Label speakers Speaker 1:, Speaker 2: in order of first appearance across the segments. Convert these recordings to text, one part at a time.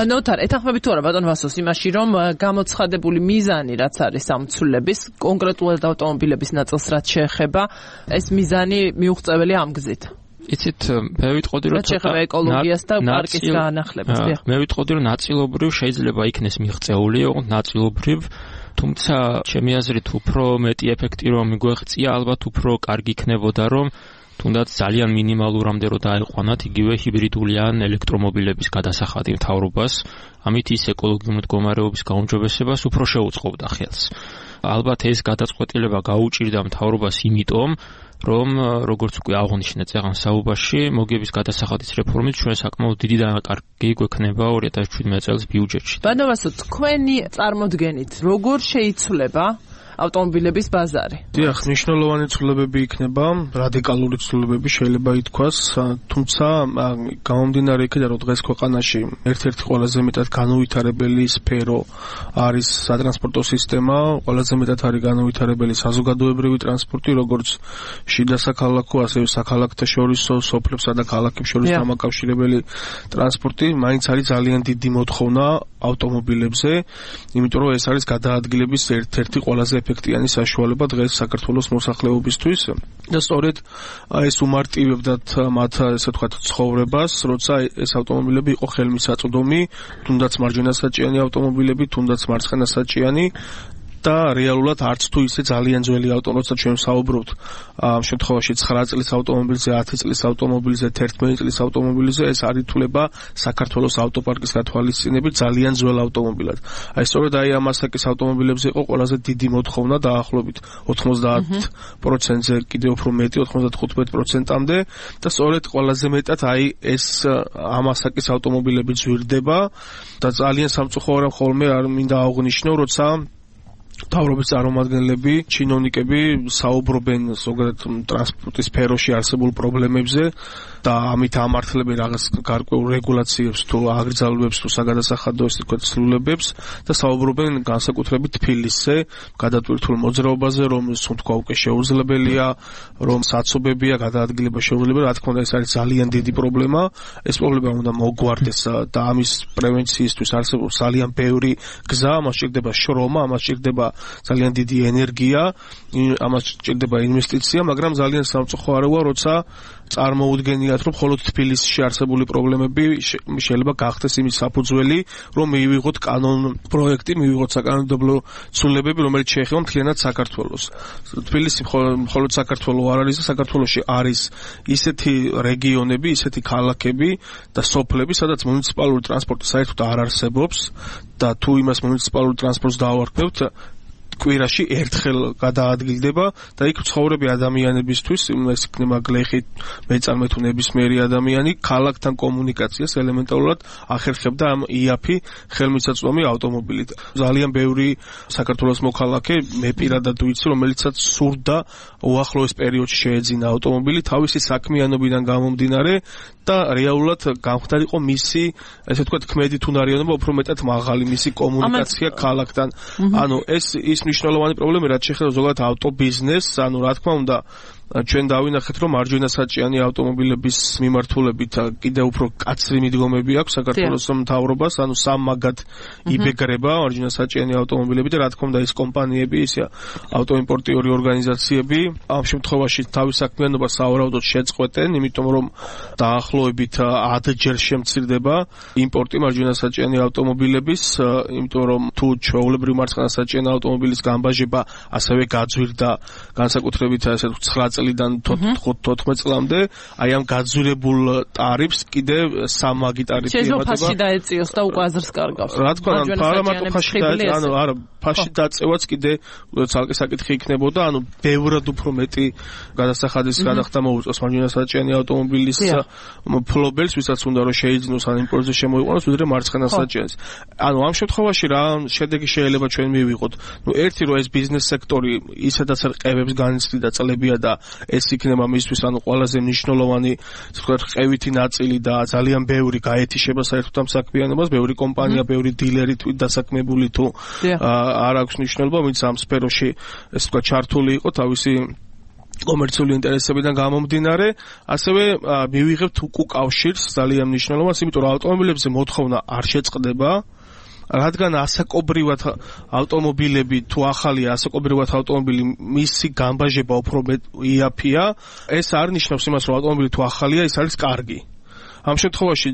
Speaker 1: ნოთარ, ეთანხმები თუ არა ბატონ ვასოს იმაში, რომ გამოცხადებული მიზანი, რაც არის ამ ცვლილების, კონკრეტულად ავტომობილების ნაწილს რაც შეეხება, ეს მიზანი მიუღწეველია ამ გზით.
Speaker 2: იცით, მე ვიტყოდი, რომ
Speaker 1: შეეხება ეკოლოგიას და პარკის განახლებას.
Speaker 2: მე ვიტყოდი, რომ ნაწილობრივ შეიძლება იქნეს მიღწეული, ოღონდ ნაწილობრივ, თუმცა ჩემი აზრით უფრო მეტი ეფექტი რომ მიგვეღწია, ალბათ უფრო კარგი იქნებოდა, რომ თუნდაც ძალიან მინიმალურამდე რომ დაეყვანათ იგივე ჰიბრიდული ან ელექტრომობილების გადასახადი მთავრობას, ამით ის ეკოლოგიური მდგომარეობის გაუმჯობესებას უფრო შეუწყობდა ხელს. ალბათ ეს გადაწყვეტილება გაუჭირდა მთავრობას იმიტომ, რომ როგორც უკვე აღნიშნეთ წეგან საუბარში, მოგების გადასახადის რეფორმით ჩვენ საკმაოდ დიდი დანაკარგი გვექნება 2017 წელს ბიუჯეტში.
Speaker 1: ბატონო ვასო, თქვენი წარმოდგენით როგორ შეიცვლება ავტომობილების ბაზარი?
Speaker 3: დიახ, მნიშვნელოვანი ცვლილებები იქნება, რადიკალური ცვლილებები შეიძლება ითქვას, თუმცა გამომდინარე იქიდან, რომ დღეს ქვეყანაში ერთ-ერთი ყველაზე მეტად განუვითარებელი სფერო არის სატრანსპორტო სისტემა, ყველაზე მეტად არის განუვითარებელი საზოგადოებრივი ტრანსპორტი, როგორც შიდა საქალაქო, ასევე საქალაქთა შორისო, სოფლებსა და ქალაქებს შორის დამაკავშირებელი ტრანსპორტი, მაინც არის ძალიან დიდი მოთხოვნა ავტომობილებზე, იმიტომ რომ ეს არის გადაადგილების ერთ-ერთი ყველაზე ეფექტიანი საშუალება დღეს საქართველოს მოსახლეობისთვის და სწორედ ეს უმარტივებდათ მათ ესე ვთქვათ ცხოვრებას, როცა ეს ავტომობილები იყო ხელმისაწვდომი, თუნდაც მარჯვენასაჭიანი ავტომობილები, თუნდაც მარცხენასაჭიანი და რეალურად არც თუ ისე ძალიან ძველი ავტომობილი, როცა ჩვენ ვსაუბრობთ ამ შემთხვევაში 9 წლის ავტომობილზე, 10 წლის ავტომობილზე, 11 წლის ავტომობილზე, ეს არ ითვლება საქართველოს ავტოპარკის გათვალისწინებით ძალიან ძველ ავტომობილად. აი სწორედ ამ ასაკის ავტომობილებზე იყო ყველაზე დიდი მოთხოვნა, დაახლოებით 90%-ზე კიდევ უფრო მეტი, 95%-მდე და სწორედ ყველაზე მეტად აი ეს ამ ასაკის ავტომობილები ძვირდება და ძალიან სამწუხაროდ ხოლმე არ მინდა აღვნიშნო, როცა მთავრობის წარმომადგენლები, ჩინოვნიკები საუბრობენ ზოგადად ტრანსპორტის სფეროში არსებულ პრობლემებზე და ამით ამართლებენ რაღაც გარკვეულ რეგულაციებს თუ აგრძალებებს თუ საგადასახადო ესე ვთქვათ ცვლილებებს და საუბრობენ განსაკუთრებით თბილისზე, გადატვირთულ მოძრაობაზე, რომ თქვა უკვე შეუძლებელია, რომ საცობებია, გადაადგილება შეუძლებელია, რა თქმა უნდა ეს არის ძალიან დიდი პრობლემა, ეს პრობლემა უნდა მოგვარდეს და ამის პრევენციისთვის არსებობს ძალიან ბევრი გზა, ამას სჭირდება შრომა, ამას სჭირდება ძალიან დიდი ენერგია, ამას სჭირდება ინვესტიცია, მაგრამ ძალიან სამწუხაროა, როცა წარმოუდგენიათ, რომ მხოლოდ თბილისში არსებული პრობლემები შეიძლება გახდეს იმის საფუძველი, რომ მივიღოთ კანონ პროექტი, მივიღოთ საკანონმდებლო ცვლილებები, რომელიც შეეხება მთლიანად საქართველოს. თბილისი მხოლოდ საქართველო არ არის, საქართველოში არის ისეთი რეგიონები, ისეთი ქალაქები და სოფლები, სადაც მუნიციპალური ტრანსპორტი საერთოდ არ არსებობს და თუ იმას მუნიციპალურ ტრანსპორტს დავარქმევთ, კვირაში ერთხელ გადაადგილდება და იქ ცხოვრები ადამიანებისთვის ეს იქნება გლეხი მეწარმე თუ ნებისმიერი ადამიანი ქალაქთან კომუნიკაციას ელემენტარულად ახერხებდა ამ იაფი ხელმისაწვდომი ავტომობილით. ძალიან ბევრი საქართველოს მოქალაქე მე პირადად ვიცი, რომელიცაც სურდა უახლოეს პერიოდში შეეძინა ავტომობილი თავისი საქმიანობიდან გამომდინარე და რეალურად გამხდარიყო მისი ესე ვთქვათ ქმედით უნარიანობა უფრო მეტად მაღალი მისი კომუნიკაცია ქალაქთან. ანუ ეს მნიშვნელოვანი პრობლემა რაც შეეხება ზოგადად ავტობიზნესს, ანუ რა თქმა უნდა ჩვენ დავინახეთ, რომ მარჯვენასაჭიანი ავტომობილების მიმართულებით კიდევ უფრო კაცრი მიდგომები აქვს საქართველოს მთავრობას, ანუ სამმაგად იბეგრება მარჯვენასაჭიანი ავტომობილები და რა თქმა უნდა ეს კომპანიები, ისე ავტოიმპორტიორი ორგანიზაციები ამ შემთხვევაში თავის საქმიანობას სავარაუდოდ შეწყვეტენ, იმიტომ რომ დაახლოებით 10-ჯერ შემცირდება იმპორტი მარჯვენასაჭიანი ავტომობილების, იმიტომ რომ თუ ჩვეულებრივი მარცხენასაჭიანი ავტომობილის გამბაჟება ასევე გაძვირდა განსაკუთრებით ასე 9 წლიდან 14 წლამდე, აი ამ გაძვირებულ ტარიფს კიდევ სამმაგი ტარიფი ემატება.
Speaker 1: შეიძლება ფასში დაეწიოს და უკვე აზრს კარგავს.
Speaker 3: რა თქმა უნდა, პარამატრო ფასში დაეწიოს, ანუ არა, ფასში დაწევაც კიდე ცალკე საკითხი იქნებოდა, ანუ ბევრად უფრო მეტი გადასახადის გადახდა მოუწევს მარჯვენასაჭიანი ავტომობილის ფლობელს, ვისაც უნდა რომ შეიძინოს ან იმპორტზე შემოიყვანოს, ვიდრე მარცხენასაჭიანს. ანუ ამ შემთხვევაში რა შედეგი შეიძლება ჩვენ მივიღოთ? ნუ ერთი რომ ეს ბიზნეს სექტორი ისედაც რყევებს განიცდიდა წლებია და ეს იქნება მისთვის ანუ ყველაზე მნიშვნელოვანი თქვათ ყევითი ნაწილი და ძალიან ბევრი გაეთიშება საერთოდ ამ საქმიანობას, ბევრი კომპანია, ბევრი დილერი დასაქმებული თუ არ აქვს მნიშვნელობა, ვინც ამ სფეროში ეს თქვათ ჩართული იყო თავისი კომერციული ინტერესებიდან გამომდინარე, ასევე მივიღებთ უკავშირს ძალიან მნიშვნელოვანს, იმიტომ რომ ავტომობილებზე მოთხოვნა არ შეწყდება, რადგან ასაკობრივად ავტომობილები თუ ახალია ასაკობრივად ავტომობილი მისი გამბაჟება უფრო იაფია, ეს არ ნიშნავს იმას, რომ ავტომობილი თუ ახალია, ის არის კარგი. ამ შემთხვევაში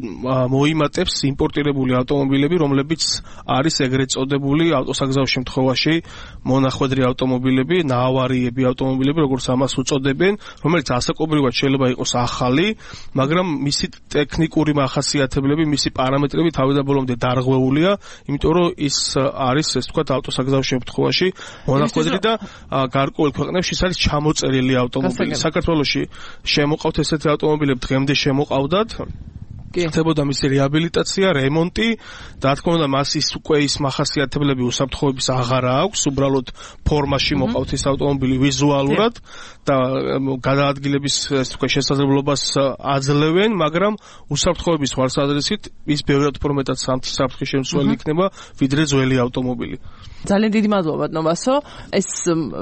Speaker 3: მოიმატებს იმპორტირებული ავტომობილები, რომლებიც არის ეგრეთ წოდებული ავტოსაგზაო შემთხვევაში მონახვედრი ავტომობილები, ნაავარიები ავტომობილები, როგორც ამას უწოდებენ, რომელიც ასაკობრივად შეიძლება იყოს ახალი, მაგრამ მისი ტექნიკური მახასიათებლები, მისი პარამეტრები თავიდან ბოლომდე დარღვეულია, იმიტომ რომ ის არის, ეს თქვათ, ავტოსაგზაო შემთხვევაში მონახვედრი და გარკვეულ ქვეყნებში ის არის ჩამოწერილი ავტომობილი. საქართველოში შემოყავთ ესეთი ავტომობილები, დღემდე შემოყავდათ. ხდებოდა მისი რეაბილიტაცია, რემონტი და თქმა უნდა მას ის უკვე ის მახასიათებლები უსაფრთხოების აღარა აქვს, უბრალოდ ფორმაში მოყავთ ეს ავტომობილი ვიზუალურად და გადაადგილების თქვა შესაძლებლობას აძლევენ, მაგრამ უსაფრთხოების ხარისხით ის ბევრად უფრო მეტად საფრთხის შემცველი იქნება, ვიდრე ძველი ავტომობილი.
Speaker 1: ძალიან დიდი მადლობა ნოვასო. ეს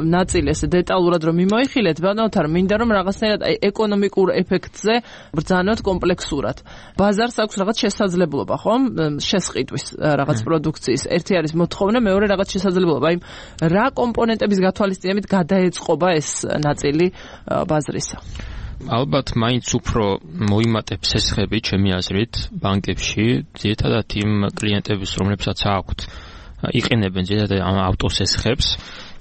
Speaker 1: ნაწილი ესე დეტალურად რომ მიმოიხილეთ, ბატონთან მინდა რომ რაღაცნაირად ეკონომიკურ ეფექტზე ბრძანოთ კომპლექსურად. ბაზარს აქვს რაღაც შესაძლებლობა, ხომ? შესყიდვის რაღაც პროდუქციის. ერთი არის მოთხოვნა, მეორე რაღაც შესაძლებლობა. აი რა კომპონენტების გათვალისწინებით გადაეწყობა ეს ნაწილი ბაზრისა?
Speaker 2: ალბათ მაინც უფრო მოიმატებს სესხები ჩემი აზრით ბანკებში, ძირითადად იმ კლიენტების, რომლებსაც აქვთ იყენებენ ძირითადად ამ ავტოსესხებს.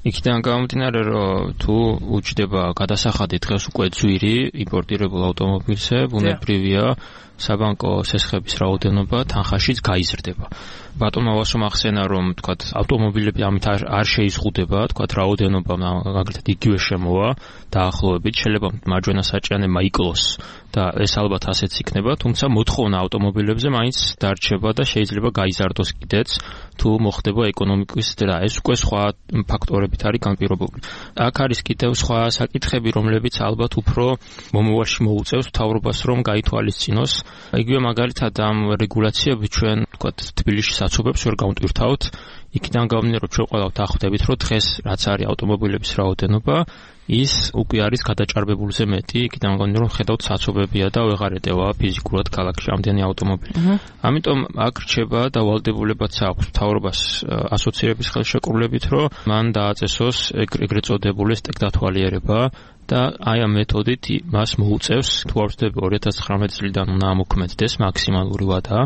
Speaker 2: იქიდან გამომდინარე, რომ თუ უჩდება გადასახადი დღეს უკვე ძვირი იმპორტირებულ ავტომობილზე, ბუნებრივია საბანკო სესხების რაოდენობა თანხაშიც გაიზრდება. ბატონმა ვასომ ახსენა, რომ თქვათ ავტომობილები ამით არ შეიზღუდება, თქვათ რაოდენობა მაგალითად იგივე შემოვა დაახლოებით, შეიძლება მარჯვენა საჭიანემა იკლოს და ეს ალბათ ასეც იქნება, თუმცა მოთხოვნა ავტომობილებზე მაინც დარჩება და შეიძლება გაიზარდოს კიდეც, თუ მოხდება ეკონომიკის და ეს უკვე სხვა ფაქტორებით არის განპირობებული. აქ არის კიდევ სხვა საკითხები, რომლებიც ალბათ უფრო მომავალში მოუწევს მთავრობას, რომ გაითვალისწინოს. იგივე მაგალითად ამ რეგულაციებით ჩვენ თქვათ თბილისში საცობებს ვერ გავმტვირთავთ. იქიდან გამომდინარე, რომ ჩვენ ყველავთ ახვდებით, რომ დღეს რაც არის ავტომობილების რაოდენობა, ის უკვე არის გადაჭარბებულზე მეტი. იქიდან გამომდინარე, რომ ხედავთ საცობებია და ვეღარ ეტევა ფიზიკურად ქალაქში ამდენი ავტომობილი. ამიტომ აქ რჩება და ვალდებულებაც აქვს მთავრობას ასოცირების ხელშეკრულებით, რომ მან დააწესოს ეგრეთ წოდებული ტექდათვალიერება და აი ამ მეთოდით მას მოუწევს, თუ არ ვცდები 2019 წლიდან უნდა ამოქმედდეს მაქსიმალური ვადა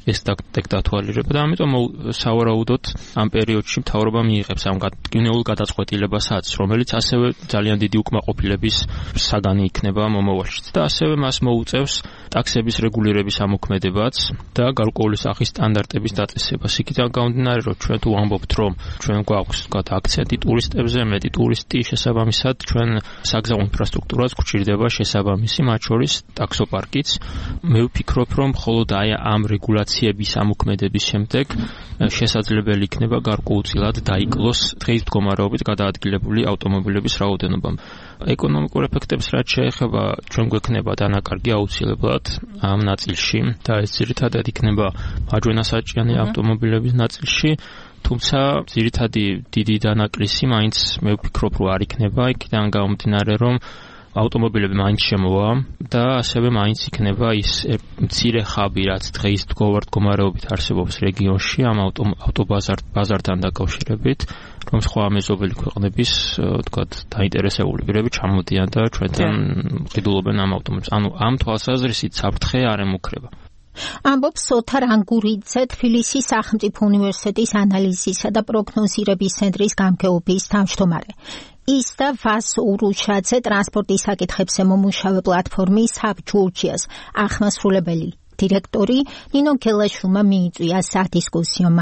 Speaker 2: ეს ტექდათვალიერება და ამიტომ სავარაუდოდ ამ პერიოდში მთავრობა მიიღებს ამ გინეულ გადაწყვეტილებასაც, რომელიც ასევე ძალიან დიდი უკმაყოფილების საგანი იქნება მომავალში და ასევე მას მოუწევს ტაქსების რეგულირების ამოქმედებაც და გარკვეული სახის სტანდარტების დაწესებას. იქიდან გამომდინარე, რომ ჩვენ თუ ვამბობთ, რომ ჩვენ გვაქვს თქვათ აქცენტი ტურისტებზე, მეტი ტურისტი, შესაბამისად ჩვენ საგზაო ინფრასტრუქტურაც გვჭირდება შესაბამისი, მათ შორის ტაქსოპარკიც. მე ვფიქრობ, რომ მხოლოდ აი ამ რეგულაციების ამოქმედების შემდეგ შესაძლებელი იქნება გარკვეულწილად დაიკლოს დღის მდგომარეობით გადაადგილებული ავტომობილების რაოდენობა. ეკონომიკურ ეფექტებს რაც შეეხება, ჩვენ გვექნება დანაკარგი აუცილებლად ამ ნაწილში და ეს ძირითადად იქნება მარჯვენა საჭიანი ავტომობილების ნაწილში, თუმცა ძირითადი დიდი დანაკლისი მაინც მე ვფიქრობ, რომ არ იქნება, იქიდან გამომდინარე, რომ ავტომობილები მაინც შემოვა და ასევე მაინც იქნება ის მცირე ხაბი, რაც დღეს მდგომარეობით არსებობს რეგიონში ამ ავტობაზართან დაკავშირებით, რომ სხვა მეზობელი ქვეყნების თქვათ დაინტერესებული პირები ჩამოდიან და ჩვენთან ყიდულობენ ამ ავტომობილებს. ანუ ამ თვალსაზრისით საფრთხე არ ემუქრება.
Speaker 4: ამბობს ოთარ ანგურიძე, თბილისის სახელმწიფო უნივერსიტეტის ანალიზისა და პროგნოზირების ცენტრის გამგეობის თავმჯდომარე. ის და ვას ურუშაძე ტრანსპორტის საკითხებზე მომუშავე პლატფორმის Hub Georgia's აღმასრულებელი დირექტორი ნინო გელაშვილმა მიიწვია სადისკუსიო